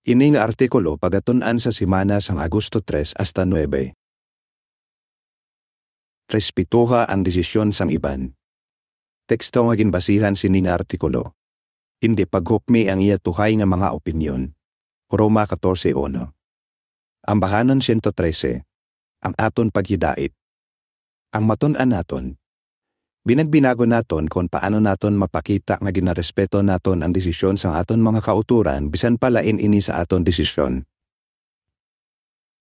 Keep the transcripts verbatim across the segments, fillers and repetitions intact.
Ini nga artikulo pagatun-an sa semana sang Agosto tres hasta nuebe. Respetuha ang desisyon sang iban. Teksto nga ginbasihan sini nga artikulo. Indi paghukmi ang iya tuhay nga mga opinyon. Roma katorse uno. Ambahanon siyento trese. Ang aton paghidait. Ang matun-an naton. Binagbinagon naton kon paano naton mapakita nga ginarespeto naton ang desisyon sang aton mga kautoran, bisan pa lain ini sa aton desisyon.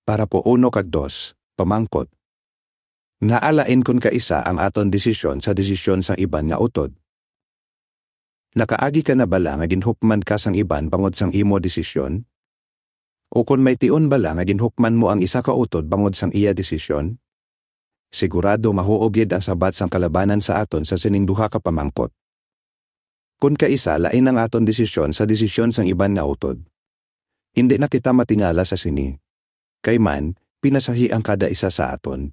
Parapo uno kag dos, pamangkot. Ngaa lain kon kaisa ang aton desisyon sa desisyon sang iban nga utod? Nakaagi ka na bala nga ginhukman ka sang iban bangod sang imo desisyon? Ukon may tion bala nga ginhukman mo ang isa ka utod bangod sang iya desisyon? Sigurado mahuog gid ang sabat sang kalabanan sa aton sa sining duha ka pamangkot. Kon kaisa lain ang aton desisyon sa desisyon sang iban nga utod, indi na kita matingala sa sini. Kay man, pinasahi ang kada isa sa aton.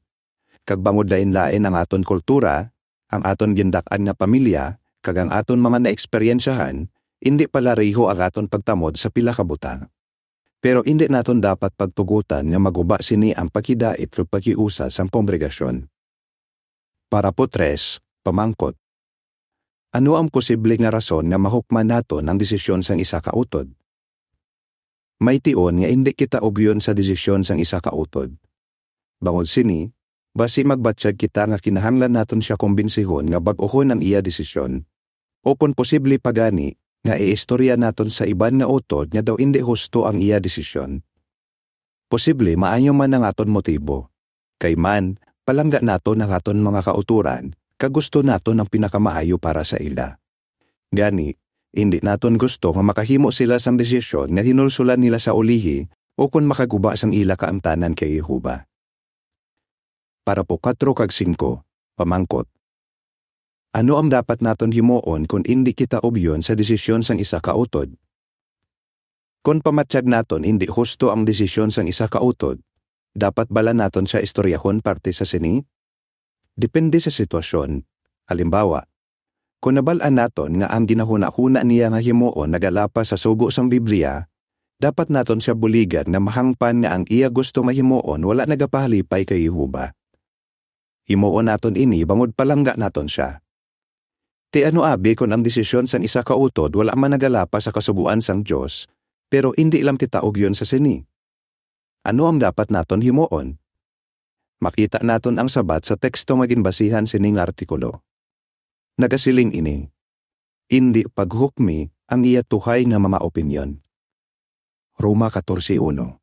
Kag bangod lain-lain ang aton kultura, ang aton gindak-an nga pamilya, kag ang aton mga naeksperyensyahan, indi palareho ang aton pagtamod sa pila ka butang. Pero indi naton dapat pagtugotan nga maguba sini ang paghidait kag paghiusa sang kongregasyon. Parapo tres, pamangkot. Ano ang posible nga rason nga mahukman naton ang desisyon sang isa ka utod? May tion nga indi kita ugyon sa desisyon sang isa ka utod. Bangod sini, basi magbatyag kita nga kinahanglan naton sia kombinsihon nga bag-ohon ang iya desisyon. O kon posible pa gani, nga iistorya naton sa iban nga utod nga daw indi husto ang iya desisyon. Posible maayo man ang aton motibo. Kay man, palangga naton ang aton mga kautoran, kag gusto naton ang pinakamaayo para sa ila. Gani, indi naton gusto nga makahimo sila sang desisyon nga hinulsulan nila sa ulihi, o kon makaguba sang ila kaangtanan kay Jehovah. Parapo kuwatro kag singko, pamangkot. Ano ang dapat naton himuon kon indi kita ugyon sa desisyon sang isa ka utod? Kon pamatyag naton indi husto ang desisyon sang isa ka utod, dapat bala naton sia istoryahon parte sa sini? Depende sa sitwasyon. Halimbawa, kon nabal-an naton nga ang ginahunahuna niya nga himuon nagalapas sa sugo sang Biblia, dapat naton sia buligan nga mahangpan nga ang iya gusto nga himuon wala nagapahalipay kay Jehovah. Himuon naton ini bangod palangga naton sia. Ti ano abi kon ang desisyon sang isa ka utod wala man nagalapas sa kasugoan sang Dios, pero indi lang kita ugyon sa sini? Ano ang dapat naton himuon? Makita naton ang sabat sa teksto nga ginbasihan sining artikulo. Nagasiling ini, "Indi paghukmi ang iya tuhay nga mga opinyon." Roma katorse uno.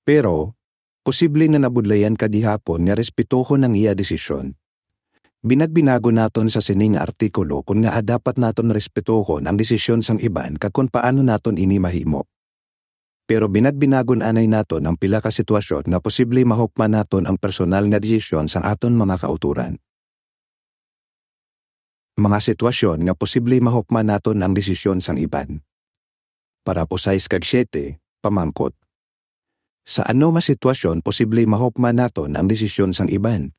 Pero, posible nga nabudlayan ka gihapon nga respetuhon ang iya desisyon. Binagbinagon naton sa sining artikulo kon ngaa dapat naton respetuhon ang desisyon sang iban kag kon paano naton ini mahimo. Pero binagbinagon anay naton ang pila ka sitwasyon nga posible mahukman naton ang personal nga desisyon sang aton mga kautoran. Mga sitwasyon nga posible mahukman naton ang desisyon sang iban. Parapo sais kag siete, pamangkot. Sa ano nga sitwasyon posible mahukman naton ang desisyon sang iban?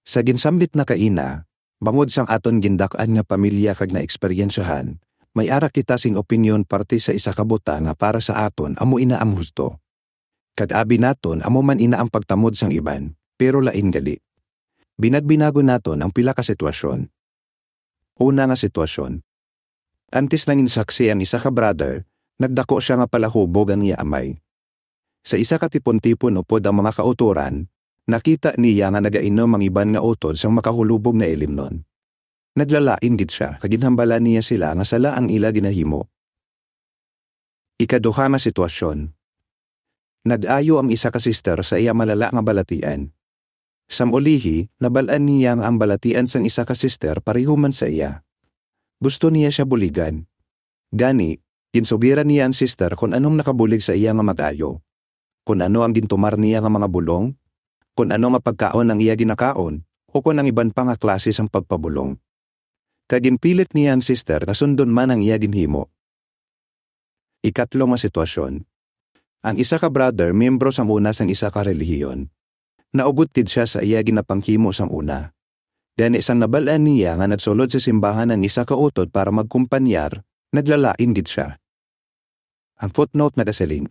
Sa ginsambit na kaina, bangod sang aton gindak-an nga pamilya kag naeksperyensyahan, may ara kita sing opinyon parte sa isa ka butang nga para sa aton amo ina ang husto. Kag abi naton amo man ina ang pagtamod sang iban, pero lain gali. Binagbinagon naton ang pila ka sitwasyon. Una nga sitwasyon. Antes nanginsaksi ang isa ka brother, nagdako sia nga palahubog ang iya amay. Sa isa ka tipon-tipon upod ang mga kautoran, nakita niya nga nagainom ang iban nga utod sang makahulubog nga ilimnon. Naglalain gid sia, kag ginhambalan niya sila nga sala ang ila ginahimo. Ikaduha nga sitwasyon. Nag-ayo ang isa ka sister sa iya malala nga balatian. Sang ulihi, nabal-an niya nga ang balatian sang isa ka sister pareho man sa iya. Gusto niya sia buligan. Gani, ginsugiran niya ang sister kon anong nakabulig sa iya nga mag-ayo, kon ano ang gintumar niya nga mga bulong, kon ano nga pagkaon ang iya ginakaon, o kon ang iban pa nga klase sang pagpabulong. Kag ginpilit niya ang sister nga sundon man ang iya ginhimo. Ikatlo nga sitwasyon. Ang isa ka brother, miyembro sang una sang isa ka relihiyon. Naugot gid sia sa iya ginapanghimo sang una. Gani, sang nabal-an niya nga nagsulod sa simbahan ang isa ka utod para magkumpanyar, naglalain gid sia. Ang footnote nagasiling,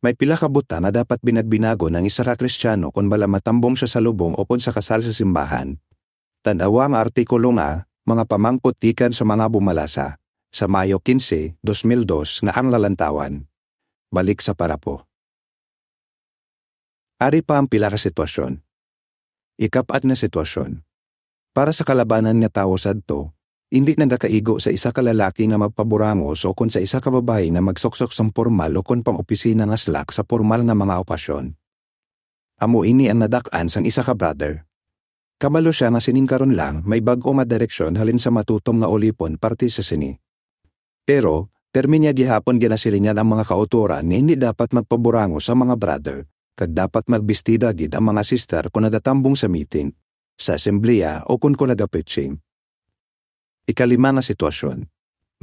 may pila ka butang nga dapat binagbinagon ang isa ka Kristiyano kon bala matambong siya sa lubong upod sa kasal sa simbahan. Tan-awa ang artikulo nga Mga Pamangkot Gikan sa Mga Bumalasa, sa Mayo quince, dos mil dos, nga ang lalantawan. Balik sa parapo. Ari pa ang pila ka sitwasyon. Ikapat nga sitwasyon. Para sa kalabanan nga tawo sadto, indi nagakaigo sa isa ka lalaki nga magpaburangos o kon sa isa ka babayi nga magsuksok sang pormal o kon pang-opisina nga slak sa pormal nga mga okasyon. Amo ini ang nadak-an sang isa ka brother. Kabalo sia nga sining karon lang may bag-o nga direksyon halin sa matutom nga ulipon parte sa sini. Pero, permi niya gihapon ginasilingan ang mga kautoran nga hindi dapat magpaburangos ang mga brother, kag dapat magbistida gid ang mga sister kon nagatambong sa meeting, sa asembleya, o kon, kon nagapreaching. Ikalima nga sitwasyon.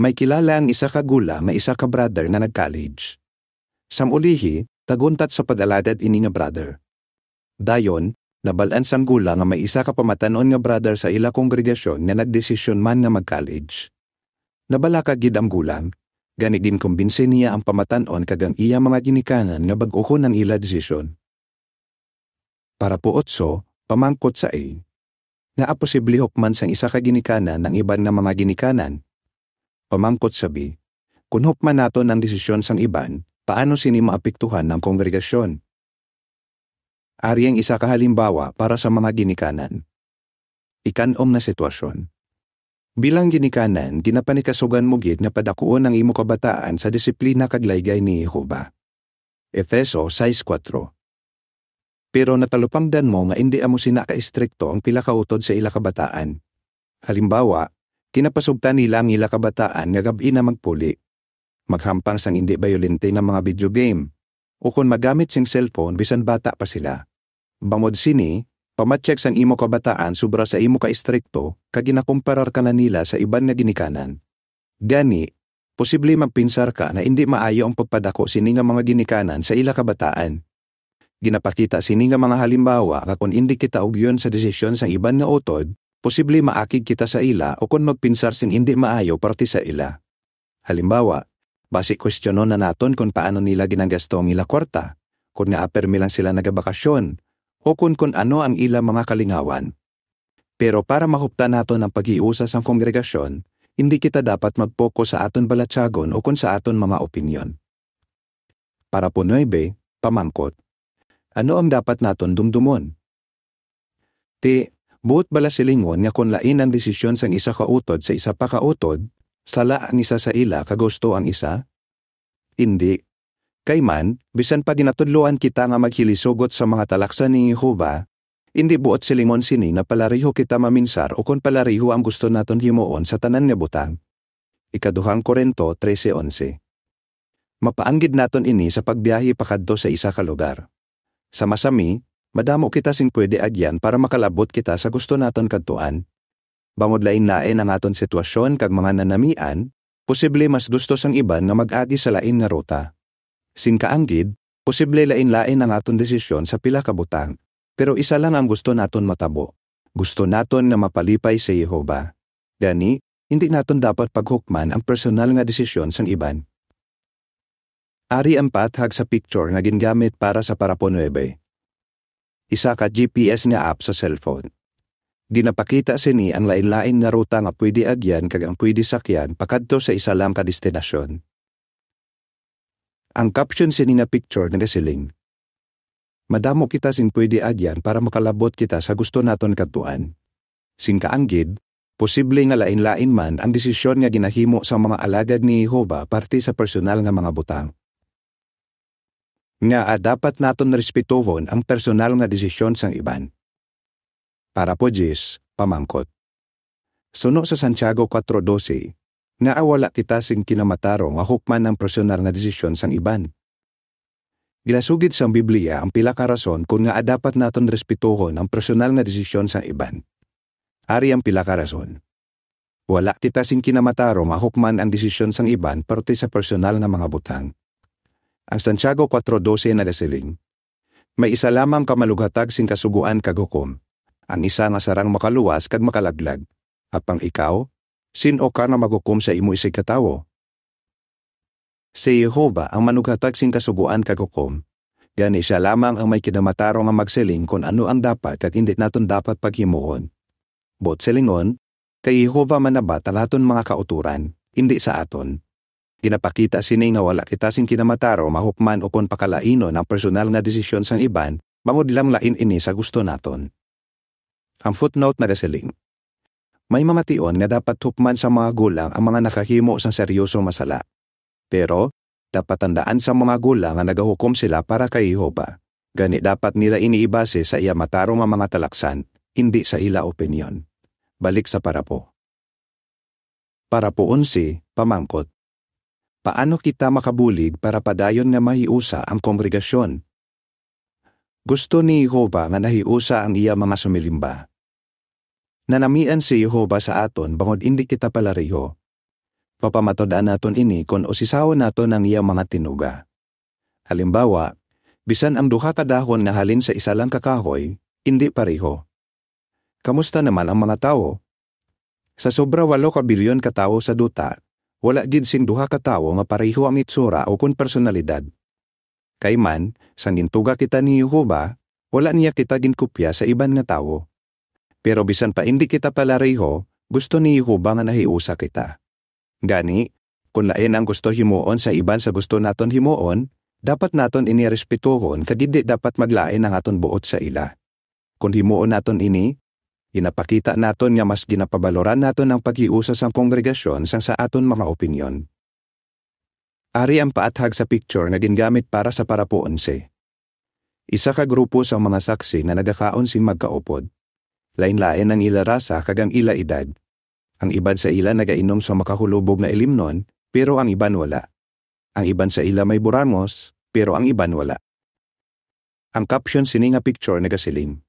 May kilala ang isa ka gulang nga isa ka brother nga nag-college. Sang ulihi, taguntat sa pag-alagad ini nga brother. Dayon, nabal-an sang gulang nga may isa ka pamatan-on nga brother sa ila kongregasyon nga nagdesisyon man nga mag-college. Nabalaka gid ang gulang, gani ginkumbinsi niya ang pamatan-on kag ang iya mga ginikanan nga bag-ohon ang ila desisyon. Parapo otso, pamangkot sa A. Ngaa posible hukman sang isa ka ginikanan ang iban nga mga ginikanan? Pamangkot sa B. Kon hukman naton ang desisyon sang iban, paano sini maapektuhan ang kongregasyon? Ari ang isa ka halimbawa para sa mga ginikanan. Ikan-om nga sitwasyon. Bilang ginikanan, ginapanikasugan mo gid nga padakuon ang imo kabataan sa disiplina kag laygay ni Jehovah. Efeso sais kuwatro. Pero natalupangdan mo nga indi amo sina ka-estrikto ang pila ka utod sa ila kabataan. Halimbawa, ginapasugtan nila ang ila kabataan nga gab-i na magpuli, maghampang sang indi bayolente nga mga video game, ukon magamit sing cellphone bisan bata pa sila. Bangod sini, pamatyag sang imo kabataan sobra sa imo ka-estrikto kag ginakomparar ka na nila sa iban nga ginikanan. Gani, posible magpinsar ka nga indi maayo ang pagpadako sini nga mga ginikanan sa ila kabataan. Ginapakita sini nga mga halimbawa nga kon indi kita ugyon sa desisyon sang iban nga utod, posible maakig kita sa ila o kon magpinsar sing indi maayo parte sa ila. Halimbawa, basi kwestiyonon na naton kon paano nila ginagasto ang ila kwarta, kon ngaa permi lang sila nagabakasyon, o kon kon ano ang ila mga kalingawan. Pero para mahuptan naton ang paghiusa sang kongregasyon, indi kita dapat mag-focus sa aton balatyagon o kon sa aton mga opinyon. Parapo nuebe, pamangkot. Ano ang dapat naton dumdumon? Ti, buot bala silingon nga kon lain ang desisyon sang isa ka utod sa isa pa ka utod, sala ang isa sa ila kag husto ang isa? Indi. Kay man, bisan pa ginatudloan kita nga maghilisugot sa mga talaksan ni Jehovah, indi buot silingon sini nga palareho kita maminsar ukon palareho ang gusto naton himuon sa tanan nga butang. Ikaduhang Corinto trese onse. Mapaanggid naton ini sa pagbiyahe pakadto sa isa ka lugar. Sa masami, madamo kita sing pwede agyan para makalabot kita sa gusto naton kadtuan. Bangod lain-lain ang aton sitwasyon kag mga nanamian, posible mas gusto sang iban nga mag-agi sa lain nga ruta. Sing kaanggid, posible lain-lain ang aton desisyon sa pila ka butang, pero isa lang ang gusto naton matabo. Gusto naton nga mapalipay si Jehovah. Gani, hindi naton dapat paghukman ang personal nga desisyon sang iban. Ari ang paathag sa picture nga gingamit para sa parapo nuebe. Isa ka G P S nga app sa cellphone. Ginapakita sini ang lain-lain nga ruta nga pwede agyan kag ang pwede sakyan pakadto sa isa lang ka destinasyon. Ang caption sini nga picture nagasiling, "Madamo kita sing pwede agyan para makalabot kita sa gusto naton kadtuan." Sing kaanggid, posible nga lain-lain man ang desisyon nga ginahimo sang mga alagad ni Jehovah parte sa personal nga mga butang. Ngaa dapat naton respetohon ang personal nga desisyon sang iban? Parapo diyes, pamangkot. Suno sa Santiago kuwatro dose, ngaa wala kita sing kinamatarong nga hukman ang personal nga desisyon sang iban? Ginasugid sang Biblia ang pila ka rason kon ngaa dapat naton respetohon ang personal nga desisyon sang iban. Ari ang pila ka rason. Wala kita sing kinamatarong nga hukman ang desisyon sang iban parte sa personal nga mga butang. Ang Santiago kuwatro dose nagasiling, "May isa lamang ka malughatag sing kasugoan kag hukom. Ang isa nga sarang makaluwas kag makalaglag. Apang ikaw, Sin-o ka nga maghukom sa imo isigkatawo? Si Jehovah ang manughatag sing kasugoan kag hukom. Gani, sia lamang ang may kinamatarong nga magsiling kon ano ang dapat kag indi naton dapat paghimuon. Buot silingon, kay Jehovah manabat ang aton mga kautoran, indi sa aton. Ginapakita sini nga wala kita sing kinamatarong mahukman ukon pakalainon ang personal nga desisyon sang iban, bangod lang lain ini sa gusto naton. Ang footnote nagasiling, may mga tion nga dapat hukman sa mga gulang ang mga nakahimo sang seryoso nga sala. Pero, dapat tandaan sa mga gulang nga nagahukom sila para kay Jehovah. Gani, dapat nila ini ibase sa iya matarong nga mga talaksan, indi sa ila opinyon. Balik sa parapo. Parapo onse, pamangkot. Paano kita makabulig para padayon nga mahiusa ang kongregasyon? Gusto ni Jehovah nga nahiusa ang iya mga sumilimba. Nanamian si Jehovah sa aton bangod indi kita palareho. Mapamatud-an naton ini kon usisahon naton ang iya mga tinuga. Halimbawa, bisan ang duha ka dahon nga halin sa isa lang ka kahoy, indi pareho. Kamusta naman ang mga tawo? Sa sobra walo ka bilyon ka tawo sa duta, wala gid sing duha ka tawo nga pareho ang itsura ukon personalidad. Kay man, sang gintuga kita ni Jehovah, wala niya kita ginkopya sa iban nga tawo. Pero bisan pa indi kita palareho, gusto ni Jehovah nga nahiusa kita. Gani, kon lain ang gusto himuon sa iban sa gusto naton himuon, dapat naton ini respetuhon kag indi dapat maglain ang aton buot sa ila. Kon himuon naton ini, ginapakita naton nga mas ginapabaloran naton ang paghiusa sang kongregasyon sang sa aton mga opinyon. Ari ang paathag sa picture nga gingamit para sa parapo onse. Isa ka grupo sang mga saksi nga nagakaon sing magkaupod. Lain-lain ang ila rasa kag ang ila edad. Ang iban sa ila nagainom sa makahulubog nga ilimnon, pero ang iban wala. Ang iban sa ila may burangos, pero ang iban wala. Ang caption sini nga picture nagasiling,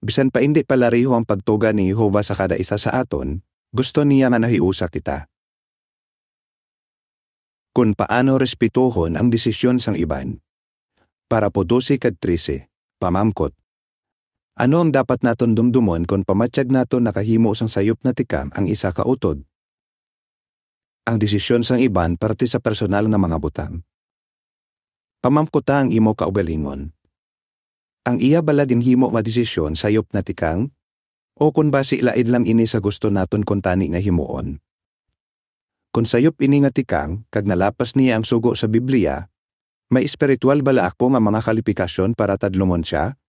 bisan pa indi palareho ang pagtuga ni Jehovah sa kada isa sa aton, gusto niya nga nahiusa kita. Kon paano respetuhon ang desisyon sang iban. Parapo dose kag trese, pamangkot. Ano ang dapat naton dumdumon kon pamatyag naton nakahimo sang sayop na tikang ang isa ka utod? Ang desisyon sang iban parte sa personal nga mga butang. Pamangkuta ang imo kaugalingon. Ang iya bala ginhimo nga desisyon sayop na tikang? O kon basi lain lang ini sa gusto naton kuntani nga himuon? Kon sayop ini nga tikang kag nalapas niya ang sugo sa Biblia, may espiritual bala ako nga mga kalipikasyon para tadlungon sia?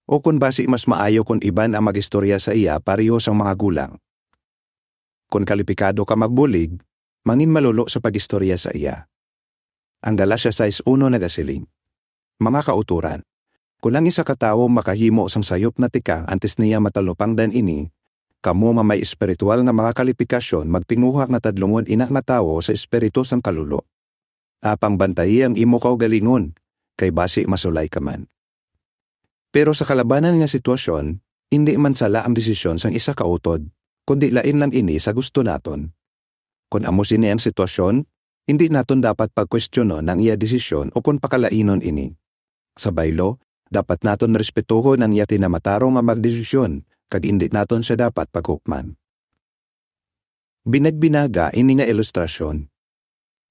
O kon basi mas maayo kon iban ang mag-istorya sa iya pareho sang mga gulang? Kon kalipikado ka magbulig, manginmalulo sa pag-istorya sa iya. Ang Galacia sais uno nagasiling, mga kautoran, kon ang isa ka tawo makahimo sang sayop na tikang antes niya matalupangdan ini, kamo nga may espiritual nga mga kalipikasyon magtinguha nga tadlungon ina nga tawo sa espiritu sang kalulo. Apang bantayi ang imo kaugalingon, kay basi masulay ka man. Pero sa kalabanan nga sitwasyon, indi man sala ang desisyon sang isa ka utod, kundi lain lang ini sa gusto naton. Kon amo sini ang sitwasyon, indi naton dapat pagkwestiyonon ang iya desisyon o kon pakalainon ini. Sa baylo, dapat naton respetuhon ang iya kinamatarong nga magdesisyon, kag indi naton sia dapat paghukman. Binagbinaga ini nga ilustrasyon.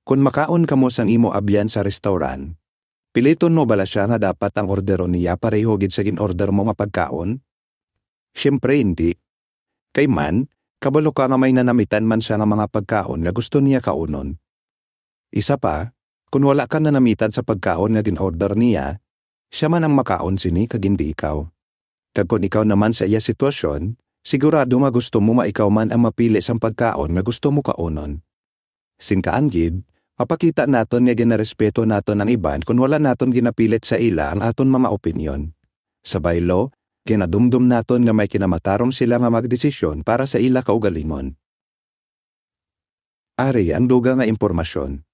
Kon makaon kamo sang imo abyan sa restaurant, piliton mo bala sia nga dapat ang orderon niya pareho gid sa gin-order mo nga pagkaon? Siyempre indi. Kay man, kabalo ka nga may nanamitan man sia nga mga pagkaon nga gusto niya kaunon. Isa pa, kon wala ka nanamitan sa pagkaon nga gin-order niya, sia man ang makaon sini kag indi ikaw. Kag kon ikaw naman sa iya sitwasyon, sigurado nga gusto mo nga ikaw man ang mapili sang pagkaon nga gusto mo kaunon. Sing kaangid, mapakita naton nga ginarespeto naton ang iban kon wala naton ginapilit sa ila ang aton mga opinyon. Sa baylo, ginadumdom naton nga may kinamatarong sila nga magdesisyon para sa ila kaugalingon. Ari ang dugang nga impormasyon.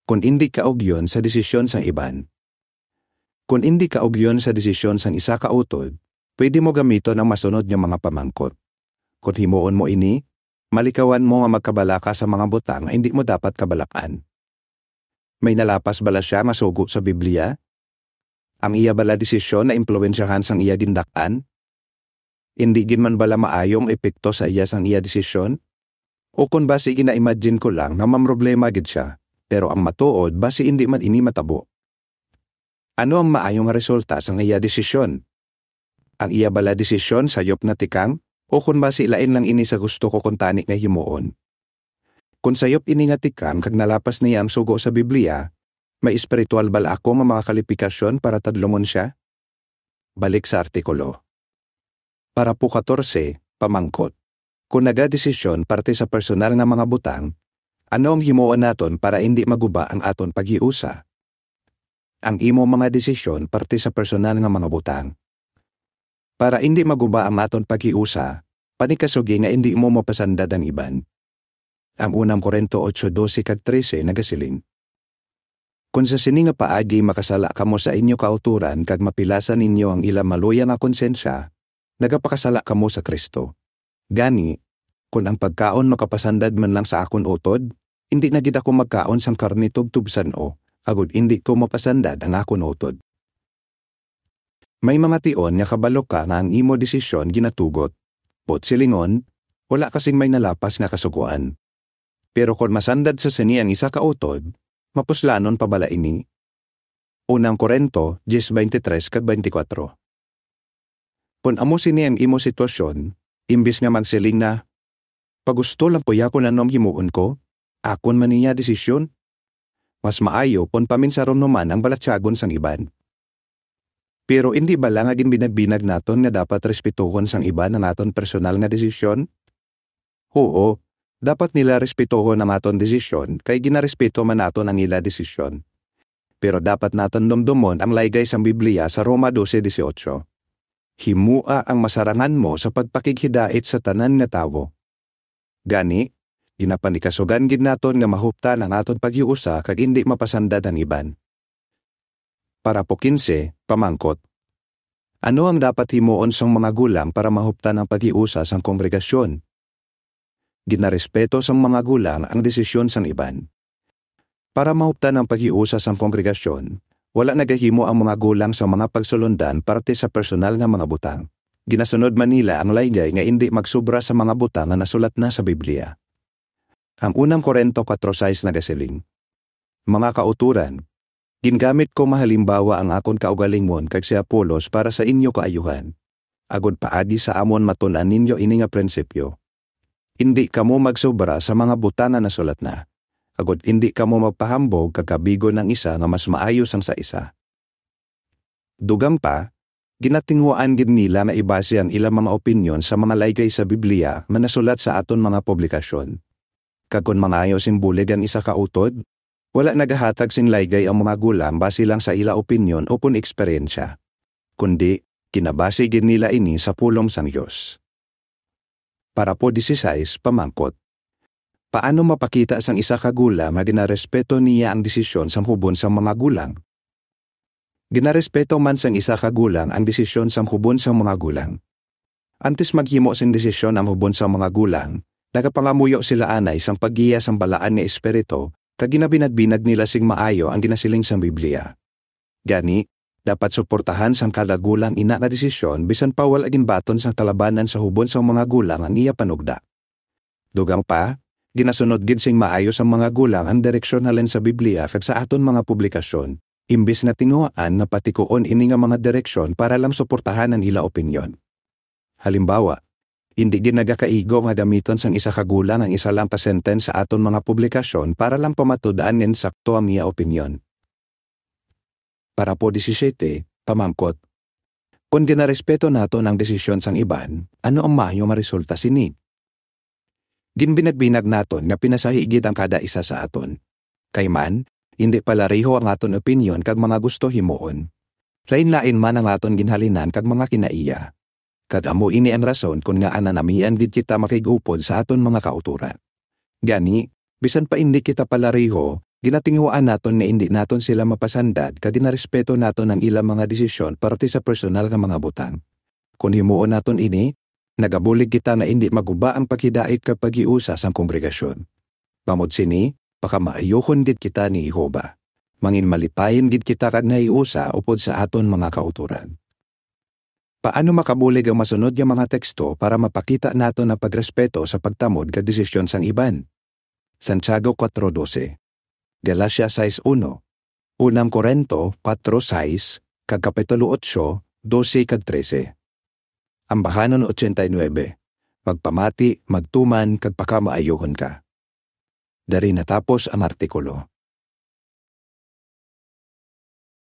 Kon indi kaugyon sa desisyon sang iban. Kon indi kaugyon sa desisyon sang isa ka utod, pwede mo gamiton ang masunod nga mga pamangkot. Kon himuon mo ini, malikawan mo nga magkabalaka sa mga butang nga indi mo dapat kabalakan. May nalapas bala sia nga sugo sa Biblia? Ang iya bala desisyon naimpluwensyahan sang iya gindak-an? Indi gid man bala maayo ang epekto sa iya sang iya desisyon? O kon basi gina-imagine ko lang nga mamroblema gid sia, pero ang matuod basi indi man ini matabo. Ano ang maayo nga resulta sang iya desisyon? Ang iya bala desisyon sayop nga tikang, o kon basi lain lang ini sa gusto ko kuntani nga himuon? Kon sayop ini nga tikang kag nalapas niya ang sugo sa Biblia, may espiritual bala ako nga mga kalipikasyon para tadlungon sia? Balik sa artikulo. Parapo katorse, pamangkot. Kon nagadesisyon parte sa personal nga mga butang, ano ang himuon naton para indi maguba ang aton paghiusa? Ang imo mga desisyon parte sa personal nga mga butang. Para indi maguba ang aton paghiusa, panikasugi nga indi mo mapasandad ang iban. Ang unang Corinto ocho doce kag trese nagasiling, "Kon sa sini nga paagi makasala kamo sa inyo kautoran kag mapilasan ninyo ang ila maluya nga konsensya, nagapakasala kamo sa Cristo. Gani, kon ang pagkaon makapasandad man lang sa akon utod, indi na gid ako magkaon sang karne tubtob san-o, agod indi ko mapasandad ang akon utod." May mga tion nga kabalo ka nga ang imo desisyon ginatugot, but silingon, wala ka sing may nalapas nga kasugoan. Pero kon masandad sa sini ang isa ka utod, mapuslanon pa bala ini? Unang Corinto diez veintitrés kag veinticuatro. Kon amo sini ang imo sitwasyon, imbis nga magsiling na, "Pagusto lang po ya kon ano ang himuon ko, akon man niya desisyon," mas maayo kon paminsaron mo man ang balatyagon sang iban. Pero indi bala nga ginbinagbinag naton nga dapat respetuhon sang iban ang aton personal nga desisyon? Huo, dapat nila respetuhon ang aton desisyon kay ginarespeto man naton ang ila desisyon. Pero dapat naton dumdomon ang laygay sang Biblia sa Roma doce dieciocho, "Himoa ang masarangan mo sa pagpakighidait sa tanan nga tawo." Gani, ginapanikasugan gid naton nga mahuptan ang aton paghiusa kag indi mapasandad ang iban. Parapo quince, pamangkot. Ano ang dapat himuon sang mga gulang para mahuptan ang paghiusa sang kongregasyon? Ginarespeto sang mga gulang ang desisyon sang iban. Para mahuptan ang paghiusa sang kongregasyon, wala nagahimo ang mga gulang sa mga pagsulondan parte sa personal nga mga butang. Ginasunod man nila ang laygay nga indi magsobra sa mga butang nga nasulat na sa Biblia. Ang unang Corinto kuwatro sais nagasiling, "Mga kauturan, gingamit ko mahalimbawa ang akon kaugalingon kag si Apolos para sa inyo kaayuhan, agod paagi sa amon matun-an ninyo ini nga prinsipyo. Indi kamo magsobra sa mga butang nga nasulat na, agod indi kamo magpahambog kag kabigon ang isa nga mas maayo sang sa isa." Dugang pa, ginatinguhaan gid nila nga ibase ang ilang mga opinyon sa mga laygay sa Biblia nga nasulat sa aton mga publikasyon. Kag kon mangayo sing bulig ang isa ka utod, wala nagahatag sing laygay ang mga gulang base lang sa ila opinyon o kon eksperyensya, kundi ginabase gid nila ini sa pulong sang Dios. Parapo dieciséis, pamangkot. Paano mapakita sang isa ka gulang nga ginarespeto niya ang desisyon sang hubon sang mga gulang? Ginarespeto man sang isa ka gulang ang desisyon sang hubon sang mga gulang. Antes maghimo sing desisyon ang hubon sang mga gulang, nagapangamuyo sila anay sang paggiya sang Balaan nga Espiritu, kag ginabinagbinag nila sing maayo ang ginasiling sang Biblia. Gani, dapat suportahan sang kada gulang ina nga desisyon bisan pa wala ginbaton sang kalabanan sa hubon sang mga gulang ang iya panugda. Dugang pa, ginasunod gid sing maayo sang mga gulang ang direksyon halin sa Biblia kag sa aton mga publikasyon, imbis nga tinguhaan nga patikuon ini nga mga direksyon para lang suportahan ang ila opinyon. Halimbawa, indi gid nagakaigo nga gamiton sang isa ka gulang ang isa lang ka sentence sa aton mga publikasyon para lang pamatud-an nga insakto ang iya opinyon. Parapo diecisiete, pamangkot. Kon ginarespeto naton ang desisyon sang iban, ano ang maayo nga resulta sini? Ginbinagbinag naton nga pinasahi gid ang kada isa sa aton. Kay man, indi palareho ang aton opinyon kag mga gusto himuon. Lain-lain man ang aton ginhalinan kag mga kinaiya. Kag amo ini ang rason kon ngaa nanamian gid kita makig-upod sa aton mga kautoran. Gani, bisan pa indi kita palareho, ginatinguhaan naton nga indi naton sila mapasandad kag ginarespeto naton ang ila mga desisyon parte sa personal nga mga butang. Kon himuon naton ini, nagabulig kita nga indi maguba ang paghidait kag paghiusa sang kongregasyon. Bangod sini, pakamaayuhon gid kita ni Jehovah. Manginmalipayon gid kita kag nahiusa upod sa aton mga kautoran. Paano makabulig ang masunod nga mga teksto para mapakita naton ang pagrespeto sa pagtamod kag desisyon sang iban? Santiago kuatro dose, Galacia sais uno, Unang Corinto kuatro sais, kag Kapitulo otso, dose kag trese. Ambahanon ochenta y nuebe, Magpamati, magtuman, kag pakamaayohon ka. Dari natapos ang artikulo.